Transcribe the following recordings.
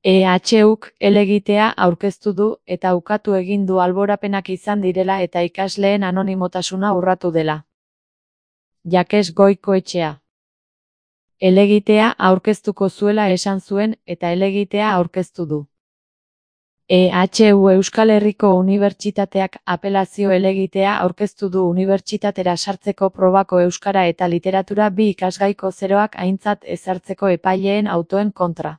EHUk helegitea aurkeztu du eta ukatu egin du alborapenak izan direla eta ikasleen anonimotasuna urratu dela. Jakes Goikoetxea. Helegitea aurkeztuko zuela esan zuen eta helegitea aurkeztu du. EHU Euskal Herriko Unibertsitateak apelazio helegitea aurkeztu du unibertsitatera sartzeko probako euskara eta literatura bi ikasgaiko zeroak aintzat ezartzeko epaileen autoen kontra.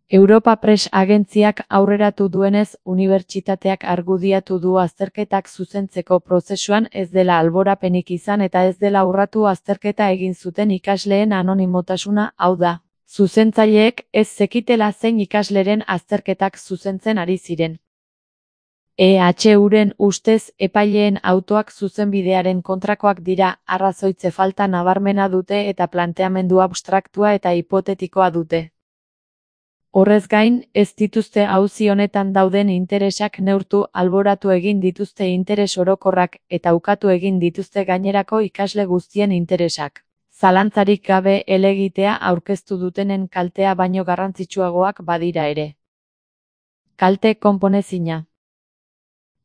Europa Press agentziak aurreratu duenez, unibertsitateak argudiatu du azterketak zuzentzeko prozesuan ez dela alborapenik izan eta ez dela urratu azterketa egin zuten ikasleen anonimotasuna, hau da, zuzentzaileek ez zekitela zein ikasleren azterketak zuzentzen ari ziren. EHUren ustez epaileen autoak zuzenbidearen kontrakoak dira, arrazoitze falta nabarmena dute eta planteamendu abstraktua eta hipotetikoa dute. Horrez gain, ez dituzte auzi honetan dauden interesak neurtu, alboratu egin dituzte interes orokorrak eta ukatu egin dituzte gainerako ikasle guztien interesak. Zalantzarik gabe helegitea aurkeztu dutenen kaltea baino garrantzitsuagoak badira ere. Kalte konponezina.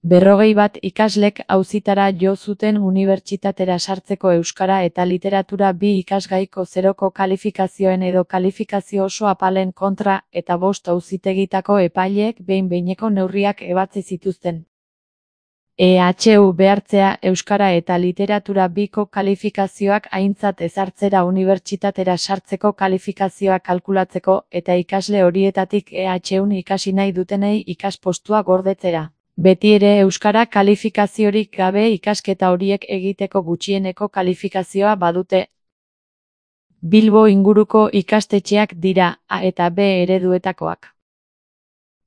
41 ikaslek auzitara jo zuten unibertsitatera sartzeko euskara eta literatura bi ikasgaiko zeroko kalifikazioen edo kalifikazio oso apalen kontra eta 5 auzitegitako epaileek behin-behineko neurriak ebatzi zituzten. EHU behartzea euskara eta literatura biko kalifikazioak aintzat ezartzera unibertsitatera sartzeko kalifikazioa kalkulatzeko eta ikasle horietatik EHUn ikasi nahi dutenei ikaspostua gordetzera. Beti ere euskara kalifikaziorik gabe ikasketa horiek egiteko gutxieneko kalifikazioa badute. Bilbo inguruko ikastetxeak dira A eta B ereduetakoak.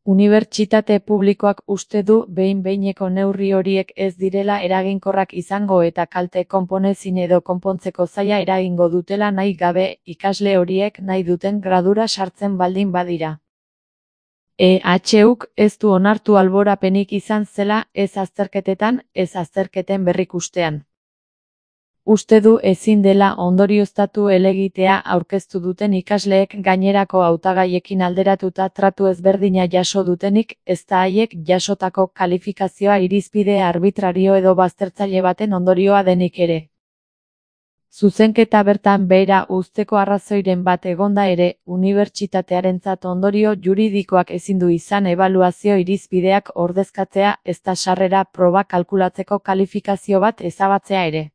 Unibertsitate publikoak uste du behin-behineko neurri horiek ez direla eraginkorrak izango eta kalte konponezin edo konpontzeko zaila eragingo dutela nahi gabe ikasle horiek nahi duten gradura sartzen baldin badira. EHUk ez du onartu alborapenik izan zela ez azterketetan, ez azterketen berrikustean. Uste du ezin dela ondorioztatu helegitea aurkeztu duten ikasleek gainerako hautagaiekin alderatuta tratu ezberdina jaso dutenik, ezta haiek jasotako kalifikazioa irizpide arbitrario edo baztertzaile baten ondorioa denik ere. Zuzenketa bertan behera uzteko arrazoiren bat egonda ere, unibertsitatearentzat ondorio juridikoak ezin du izan ebaluazio irizpideak ordezkatzea ezta sarrera proba kalkulatzeko kalifikazio bat ezabatzea ere.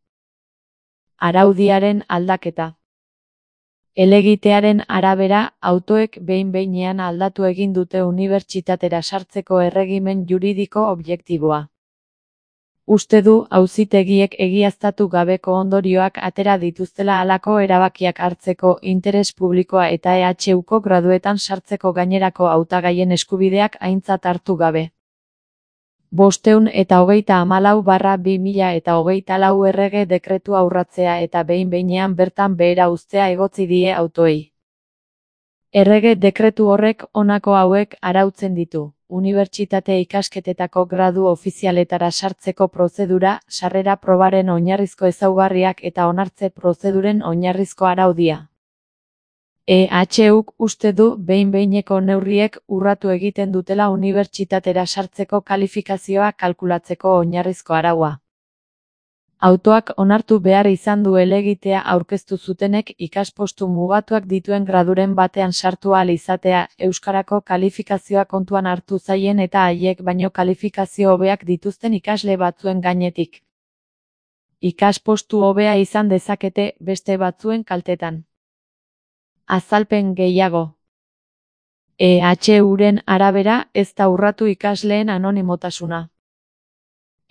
Araudiaren aldaketa. Helegitearen arabera, autoek behin-behinean aldatu egin dute unibertsitatera sartzeko erregimen juridiko objektiboa. Uste du auzitegiek egiaztatu gabeko ondorioak atera dituztela halako erabakiak hartzeko interes publikoa eta EHUko graduetan sartzeko gainerako hautagaien eskubideak aintzat hartu gabe. 534/2024 errege dekretua urratzea eta behin-behinean bertan behera uztea egotzi die autoei. Errege dekretu horrek honako hauek arautzen ditu. Unibertsitate ikasketetako gradu ofizialetara sartzeko prozedura, sarrera probaren oinarrizko ezaugarriak eta onartze prozeduren oinarrizko araudia. EHUk uste du behin-behineko neurriek urratu egiten dutela unibertsitatera sartzeko kalifikazioa kalkulatzeko oinarrizko araua. Autoak onartu behar izan du helegitea aurkeztu zutenek ikaspostu mugatuak dituen graduren batean sartu ahal izatea, euskarako kalifikazioa kontuan hartu zaien eta haiek baino kalifikazio hobeak dituzten ikasle batzuen gainetik. Ikaspostu hobea izan dezakete beste batzuen kaltetan. Azalpen gehiago. EHUren arabera ez da urratu ikasleen anonimotasuna.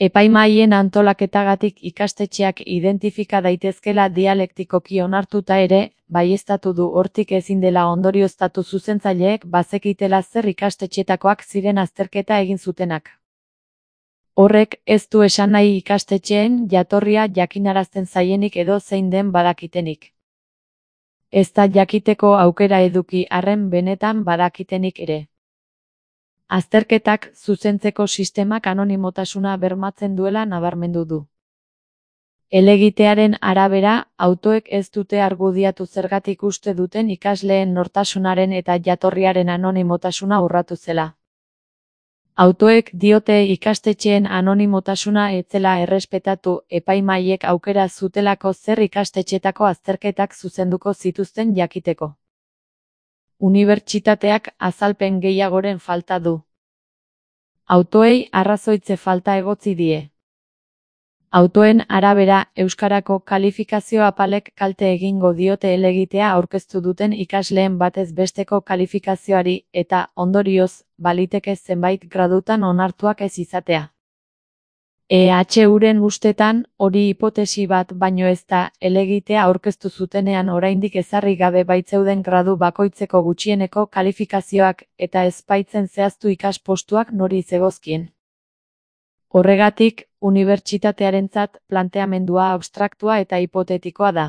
Epaimahaien antolaketagatik ikastetxeak identifika daitezkela dialektikoki onartuta ere, baieztatu du hortik ezin dela ondorioztatu zuzentzaileek bazekitela zer ikastetxeetakoak ziren azterketa egin zutenak. Horrek ez du esan nahi ikastetxeen jatorria jakinarazten zaienik edo zein den badakitenik. Ez da jakiteko aukera eduki arren benetan badakitenik ere. Azterketak zuzentzeko sistemak anonimotasuna bermatzen duela nabarmendu du. Helegitearen arabera, autoek ez dute argudiatu zergatik uste duten ikasleen nortasunaren eta jatorriaren anonimotasuna urratu zela. Autoek diote ikastetxeen anonimotasuna ez zela errespetatu, epaimahaiek aukera zutelako zer ikastetxetako azterketak zuzenduko zituzten jakiteko. Unibertsitateak azalpen gehiagoren falta du. Autoei arrazoitze falta egotzi die. Autoen arabera, euskarako kalifikazio apalek kalte egingo diote helegitea aurkeztu duten ikasleen batez besteko kalifikazioari, eta, ondorioz, baliteke zenbait gradutan onartuak ez izatea. EHUren ustetan, hori hipotesi bat baino ez da, helegitea aurkeztu zutenean oraindik ezarri gabe baitzeuden gradu bakoitzeko gutxieneko kalifikazioak, eta ez baitzen zehaztu ikaspostuak nori zegozkien. Horregatik, unibertsitatearentzat planteamendua abstraktua eta hipotetikoa da.